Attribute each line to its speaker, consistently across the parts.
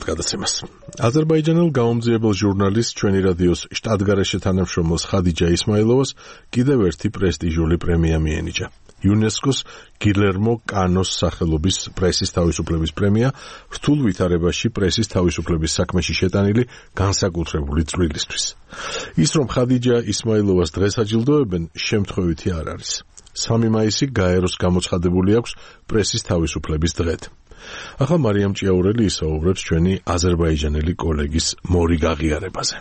Speaker 1: გადაცემას. აზერბაიჯანელ გამომძიებელ ჟურნალისტ ჩვენი რადიოს შტატგარეშე თანამშრომელს ხადიჯა ისმაილოვას კიდევ ერთი პრესტიჟული პრემია მიენიჭა. იუნესკოს გილერმო კანოს სახელობის პრესის თავისუფლების პრემია რთულ ვითარებაში პრესის თავისუფლების საქმეში შეტანილი განსაკუთრებული წვლილისთვის. ის რომ ხადიჯა ისმაილოვას დღეს აჯილდოებენ, შემთხვევითი არ არის. 3 მაისი გაეროს გამოცხადებული აქვს პრესის თავისუფლების დღედ. ახლა მარიამ ჭიაურელი ისაუბრებს ჩვენი აზერბაიჯანელი კოლეგის მორი გაღიარებაზე.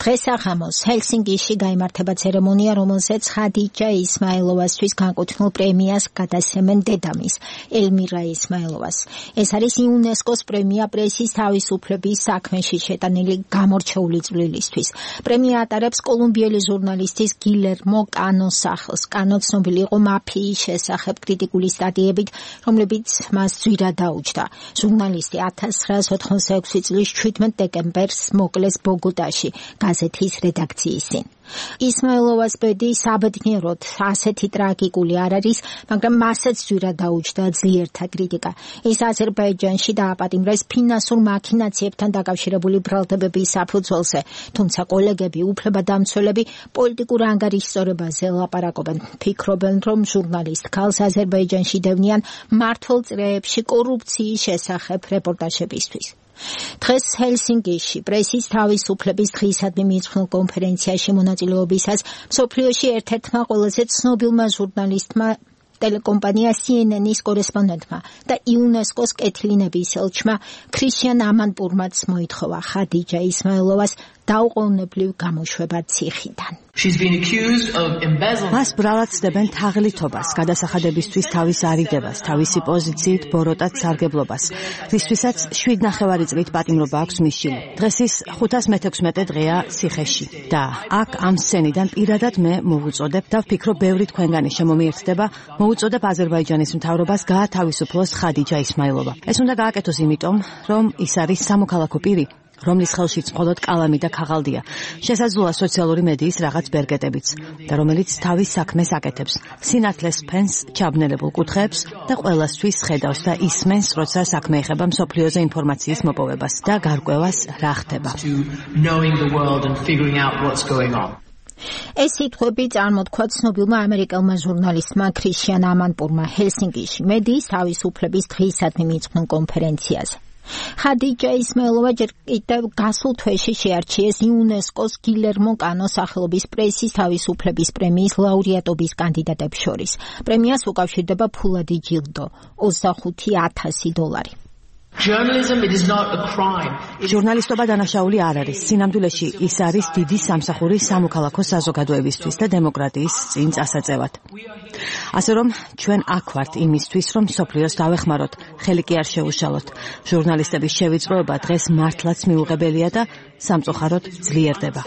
Speaker 2: დღეს აღამოს ჰელსინკიში გაიმართება ცერემონია, რომელზეც ხადიჯა ისმაილოვასთვის განკუთვნილ პრემიას გადასცემენ დედამის, ელმირა ისმაილოვას. ეს არის იუნესკოს პრემია პრესის თავისუფლების საქმეში შეტანილი გამორჩეული წვლილისთვის. პრემია ატარებს კოლუმბიელი ჟურნალისტის გილერმო კანოს სახელს. კანო ცნობილი იყო მაფიის შესახებ კრიტიკული სტატიებით, რომლებიც მას ძვირად დაუჯდა. ჟურნალისტი 1986 წლის 17 დეკემბერს მოკლეს ბოგოტაში. გაზეთის რედაქციის წინ. ისმაილოვას ბედი საბედნიეროდ ასეთი ტრაგიკული არ არის, მაგრამ მასაც ძვირად დაუჯდა ძლიერთა კრიტიკა. ის აზერბაიჯანში დააპატიმრეს ფინანსურ მაქინაციებთან დაკავშირებული ბრალდებების საფუძველზე, თუმცა კოლეგები, უფლებადამცველები პოლიტიკურ ანგარიშსწორებაზე ლაპარაკობენ. ფიქრობენ, რომ ჟურნალისტ ქალს აზერბაიჯანში დევნიან მართულ წრეებში კორუფციის შესახებ რეპორტაჟებისთვის. დღეს ჰელსინკიში პრესის თავისუფლების დღისადმი მიძღვნილ კონფერენციაში მონაწილეობისას მსოფლიოში ერთ-ერთმა ყველაზე ცნობილმა ჟურნალისტმა, ტელეკომპანია CNN-ის კორესპონდენტმა და იუნესკოს კეთილინების ელჩმა ქრიშიან ამანპურმაც მოითხოვა ხადიჯა ისმაილოვას დაუყოვნებლივ გამოშვება ციხიდან.
Speaker 3: მას ბრალად ცდებენ თაღლითობას, გადასახადებისთვის თავის არიდებას, თავისი პოზიციით ბოროტად სარგებლობას, რისთვისაც 7,5 წლით პატიმრობა აქვს მისშილი. დღეს ის 516 დღეა ციხეში და აქ ამ სცენიდან პირადად მე მოვუწოდებ და ვფიქრობ, ბევრი თქვენგანი შემომიერთდება, მოვუწოდებ აზერბაიჯანის მთავრობას გაათავისუფლოს ხადიჯა ისმაილოვა. ეს უნდა გააკეთოს იმიტომ, რომ ის არის სამოქალაქო პირი, რომლის ხელშიც მხოლოდ კალამი და ქაღალდია, შესაძლოა სოციალური მედიის რაღაც ბერგეტებიც და რომელიც თავის საქმეს აკეთებს, სინათლეს ფენს, ჩაბნელებულ კუთხეებს და ყველასთვის ხედავს და ისმენს, როცა საქმე ეხება მსოფლიოზე ინფორმაციის მოპოვებას და გარკვევას რა ხდება.
Speaker 2: ეს სიტყვები წარმოთქვა ცნობილმა ამერიკელმა ჟურნალისტმა ქრიშიან ამანპურმა ჰელსინკიში მედიის თავისუფლების დღისადმი მიძღვნილ კონფერენციაზე. ხადიჯა ისმაილოვა ჯერ კიდევ გასულ თვეში შეარჩიეს იუნესკოს გილერმო კანოს სახელობის პრესის თავისუფლების პრემიის ლაურეატობის კანდიდატებს შორის. პრემიას უკავშირდება ფულადი ჯილდო, $25,000.
Speaker 3: ჟურნალისტობა დანაშაული არ არის. სინამდვილეში ის არის დიდი სამსახური სამოქალაქო საზოგადოებისთვის და დემოკრატიის წინ წასაწევად. ასე რომ ჩვენ აქ ვართ იმისთვის, რომ მსოფლიოს დავეხმაროთ, ხელი კი არ შეუშალოთ. ჟურნალისტების შევიწროება დღეს მართლაც მიუღებელია და სამწუხაროდ ძლიერდება.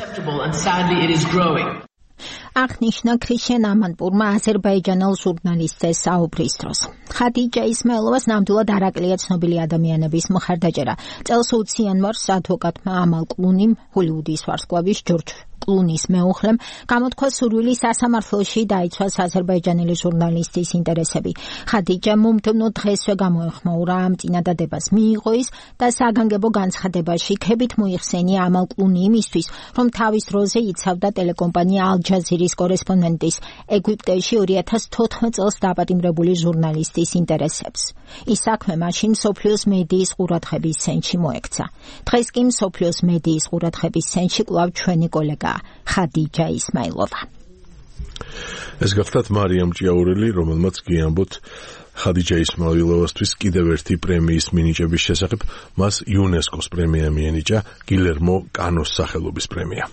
Speaker 2: აღნიშნა ქრიშიან ამანპურმა აზერბაიჯანელ ჟურნალისტზე საუბრის დროს. ხადიჯა ისმაილოვას ნამდვილად არ აკლია ცნობილი ადამიანების მხარდაჭერა. წელს უც იანვარს ადვოკატმა ამალ კლუნიმ, ჰოლივუდის ვარსკვლავის ჯორჯ კლუნის მეუღლემ, გამოთქვა სურვილი სასამართლოში დაიცვას აზერბაიჯანელი ჟურნალისტის ინტერესები. ხადიჯა მომდევნო დღესვე გამოეხმაურა ამ წინადადებას, მიიღო ის და საგანგებო განცხადებაში ქებით მოიხსენია ამალ კლუნი იმისთვის, რომ თავის დროზე იცავდა ტელეკომპანია ალ-ჯაზირის კორესპონდენტის ეგვიპტეში 2014 წელს დაპატიმრებული ჟურნალისტის ინტერესებს. ის საქმე მაშინ მსოფლიოს მედიის ყურადღების ცენტრში მოექცა. დღეს კი მსოფლიოს მედიის ყურადღების ცენტრში კვლავ ჩვენი კოლეგა ხადიჯა ისმაილოვა.
Speaker 1: ეს გახლავთ მარიამ ჭიაურელი, რომელმაც გიამბოთ ხადიჯა ისმაილოვასთვის კიდევ ერთი პრემიის მინიჭების შესახებ. მას იუნესკოს პრემია მიენიჭა, გილერმო კანოს სახელობის პრემია.